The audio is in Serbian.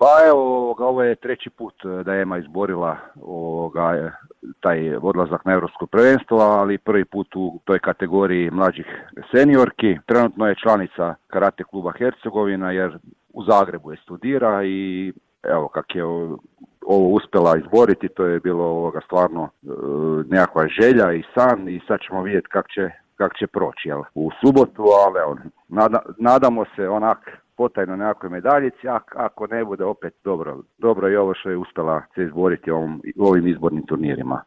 Pa evo, ovo je treći put da je EMA izborila taj odlazak na europsko prvenstvo, ali prvi put u toj kategoriji mlađih seniorki. Trenutno je članica karate kluba Hercegovina jer u Zagrebu je studira i evo kak je ovo uspjela izboriti, to je bilo stvarno nekakva želja i san i sad ćemo vidjeti kak će proći u subotu, ali evo, nadamo se potajno nekakvoj medaljici, ako ne bude opet dobro je ovo što je uspjela se izboriti u ovim izbornim turnirima.